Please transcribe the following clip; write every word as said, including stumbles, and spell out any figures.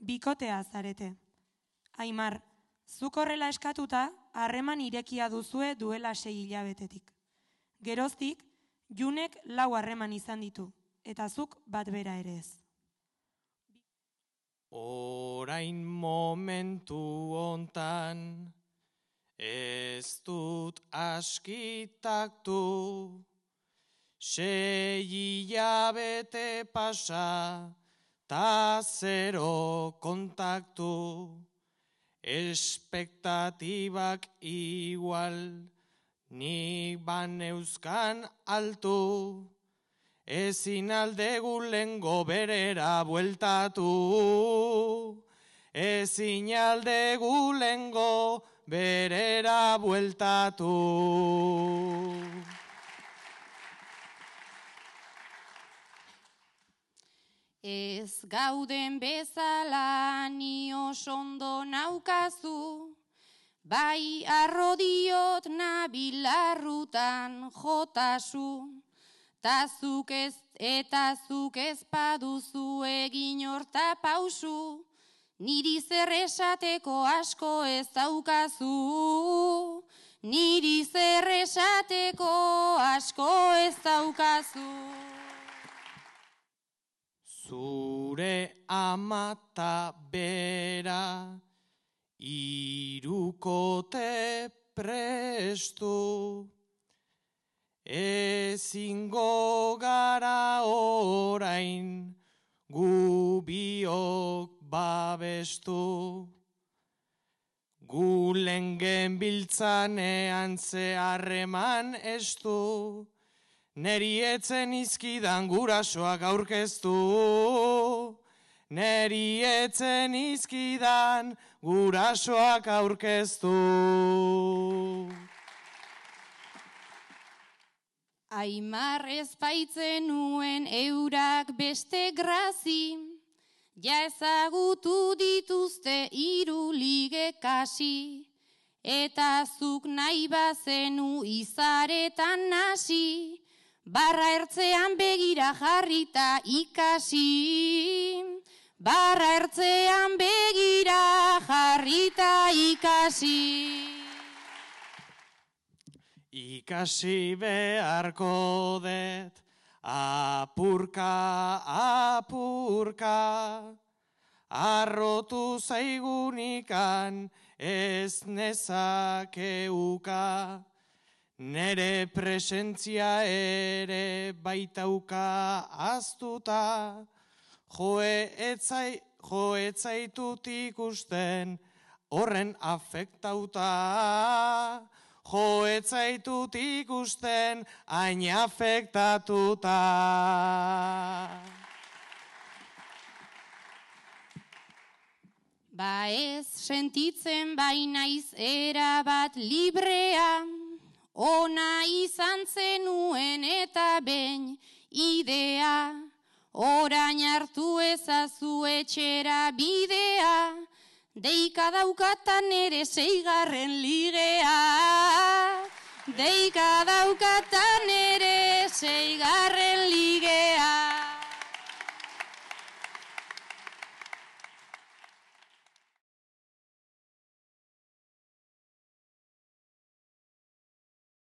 bikotea zarete. Aimar, zuk horrela eskatuta, harreman irekia duzue duela sei hilabetetik. Geroztik, Junek lau harreman izan ditu, eta zuk bat bera ere ez. Orain momentu hontan, ez dut askitaktu, sei hilabete pasa, ta zero kontaktu, espektatibak igual, nik baneuzkan altu, ezin aldegu lengo berera bueltatu, ezin aldegu lengo berera bueltatu. Ez gauden bezala ni oso ondo naukazu, bai arrodiot nabilarrutan jotasu, ta zuk ez eta zuk ez paduzu egin horta pausu, niri zer esateko asko ez daukazu, niri zer esateko asko ez daukazu. Zure amata bera, irukote prestu, ezingo gara orain gu biok babestu. Gu lengen biltzanean ze harreman estu, neri etzen izkidan gurasoak aurkeztu, neri etzen izkidan gurasoak aurkeztu. Aimar ez baitzen nuen eurak beste grazi, ja ezagutu dituzte hiru lige kasi, eta zuk nahi bazenu izaretan nasi, barra ertzean begira jarrita ikasi, barra ertzean begira jarrita ikasi. Ikasi beharko det, apurka, apurka, arrotu zaigunikan ez nezakeuka, nere presentzia ere baitauka aztuta, joe etzai, jo etzaitut ikusten horren afektauta, jo etzaitut ikusten hain afektatuta. Ba ez sentitzen bainaiz erabat librea, ona izan zenuen eta behin idea, orain hartu ezazu etxera bidea, deika daukatan ere seigarren ligea, deika daukatan